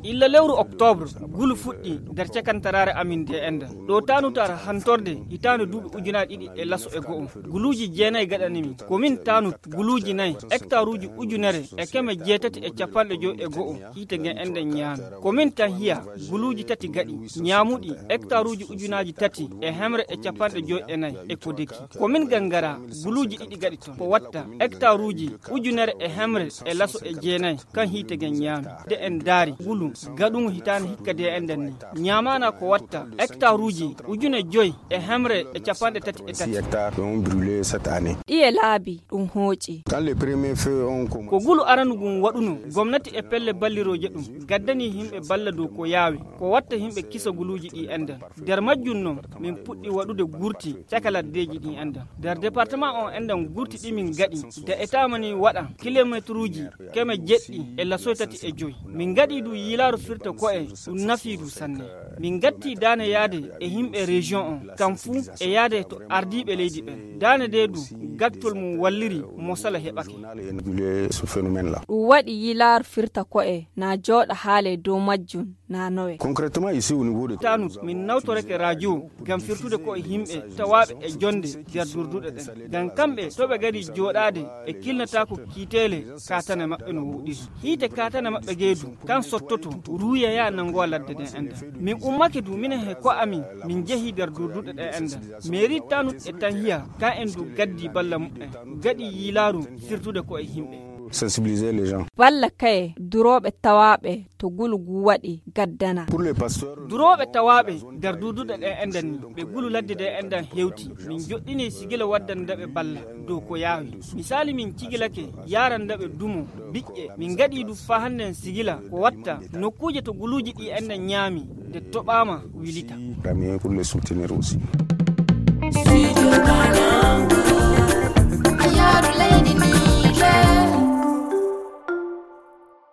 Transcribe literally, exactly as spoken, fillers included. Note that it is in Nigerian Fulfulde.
illa lewru octobre gulu fuɗɗi nder cakantarare amin de enda ɗo tanutara hantorde hitande duuɓi ujunaje ɗiɗi e laso e go'o guluji jeenayi gaɗanimi komin tanut guluji nayyi hectare uji ujunere e keme jeetati e capanɗe joyi e go'o hiite gen enden ñaami komin tan hiya guluji tati gaɗi ñaamuɗi hectare uji ujunaji tati e hemre e capanɗe joyi e nayyi e ko deki komin gangara guluji ɗiɗi gaɗi ton ko watta hectare uji ujunere e hemre e laso e jeenayi kan hiite gen ñaami de en daari gulu gaɗugo hitande hikka de enden ni ñamana ko watta hectare uji ujune joyi e hemre e capanɗe tati e tati ɗiye laabi ɗum hooƴi ko gulu aranugum waɗuno gomnati e pelle balliroje ɗum gaddani himɓe balla dow ko yaawi ko watta himɓe kisa guluji ɗi enden nder majjum noon min puɗɗi waɗude gurti caka laddeji ɗi enden nder département on enden gurti ɗi min gaɗi de etamani waɗa kilométre uji keme jeɗɗi e lasoy tati e joyi min gaɗi du yilaru firta ko'e ɗum nafi du sanne min gatti dane yaade e himɓe région on kam fuu e yaade to ardiɓe leydi ɓen dane de du gattol mum walliri mo sala heɓake ɗum waɗi yilaru firta ko'e na jooɗa haale dow majjum na nowe tanut min nawtoreke radio gam firtude ko'e himɓe tawaɓe e jonde nder durduɗe ɗen gam kamɓe toɓe gadi jooɗade e kilnatako kiitele katane maɓɓe no wuɗiri hiite katane maɓɓe geedu kan sottoto ruuyaya nangowa ladde ɗen enden min ummake du minen he ko amin min jeehi nder durduɗe ɗen enden mairie tanut e tan hiya kan en du gaddi balla muɓɓen gaɗi yilaru firtude ko'e himɓe sensibiliser les gens. Balla kaye duroɓe tawaɓe to gulugu waɗi gaddana. Pour les pasteurs, duroɓe tawaɓe nder duduɗe ɗe enden ni ɓe gulu ladde ɗe enden hewti min joɗɗini sigila waddandaɓe balla dow ko yaawi misali min cigilake yarandaɓe dumo biƴƴe min gaɗi du fa handen sigila ko watta nokkuje to guluji ɗi enden ñaami nde toɓama wilita. Pour les soutenir aussi.